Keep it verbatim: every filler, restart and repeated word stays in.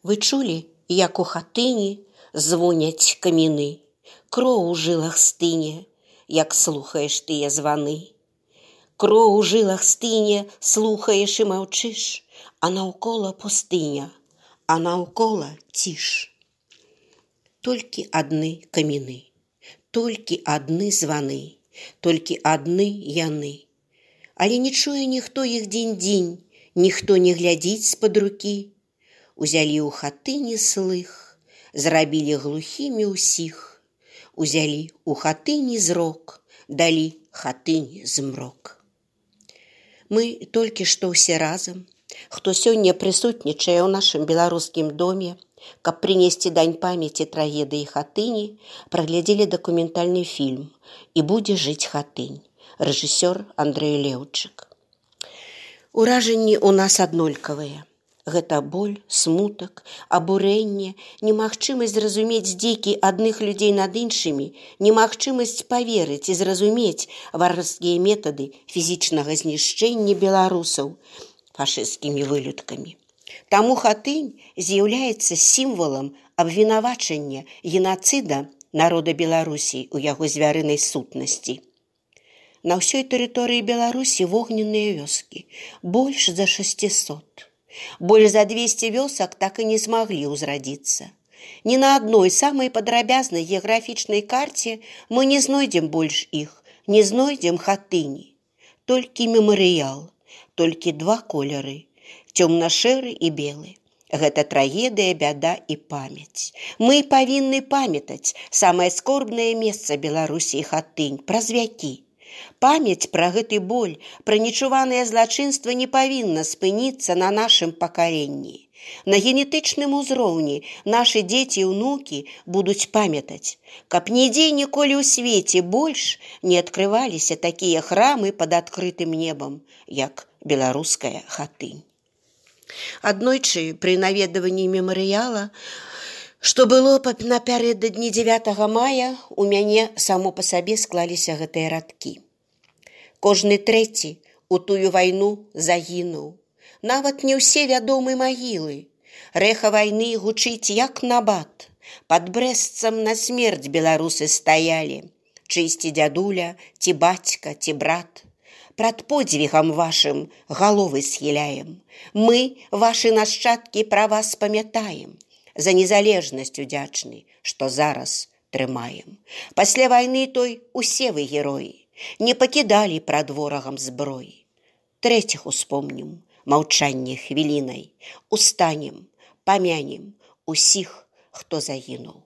Вы чулі, як у хатыні звоняць каміны, кроў у жылах стыне, як слухаеш тыя званы. Кроў у жылах стыне, слухаеш і маўчыш, а наўкола пустыня, а наўкола ціш. Толькі адны каміны, толькі адны званы, толькі адны яны. Але не чуе ніхто іх дзень-дзень, ніхто не глядзіць з-пад рукі. Узялі ў хатыні слых, зрабілі глухімі ўсіх. Узялі ў хатыні зрок, далі хатыні змрок. Мы толькі што ўсе разам, хто сёння прысутнічае ў нашым беларускім доме, каб прынесці дань памяці трагедыі хатыні, праглядзелі дакументальны фільм «І будзе жыць хатынь», рэжысёр Андрэй Леўчык. Уражанні ў нас аднолькавыя. Гэта боль, смутак, абурэнне, немагчымасць зразумець здзекі адных людзей над іншымі, немагчымасць паверыць і зразумець варварскія метады фізічнага знішчэння беларусаў фашысцкімі вылюдкамі. Таму хатынь з'яўляецца сімвалам абвінавачання генацыда народа Беларусі ў яго звярынай сутнасці. На ўсёй тэрыторыі Беларусі вогненныя вёскі, больш за шасцісот. Больш за двесце вёсак так і не змаглі ўзрадзіцца. Ні на адной самай падрабязнай геаграфічнай карце мы не знойдзем больш іх, не знойдзем хатыні. Толькі мемарыял, толькі два колеры, цёмна-шэры і белы. Гэта трагедыя, бяда і памяць. Мы павінны памятаць самае скорбнае месца Беларусі і хатынь праз вякі. Памяць пра гэты боль, пра нечуванае злачынства не павінна спыніцца на нашым пакаленні. На генетычным узроўні нашы дзеці і ўнукі будуць памятаць, каб нідзе ніколі ў свеце больш не адкрываліся такія храмы пад адкрытым небам, як беларуская хатынь. Аднойчы пры наведванні мемарыяла, што было напярэдадні дзевятага мая, у мяне само па сабе склаліся гэтыя радкі. Кожны трэці у тую вайну загінуў. Нават не ўсе вядомы магілы. Рэха вайны гучыць як набат. Пад Брэстцам на смерць беларусы стаялі. Чысці дзядуля, ці бацька, ці брат. Прад подзвігам вашым галовы схіляем. Мы, вашы нашчадкі, пра вас памятаем. За незалежнасць удзячны, што зараз трымаем. Пасля вайны той усе вы героі. Не пакідалі прад ворагам зброі. Трэціх успомнім, маўчанне хвілінай. Устанем, памянем усіх, хто загінуў.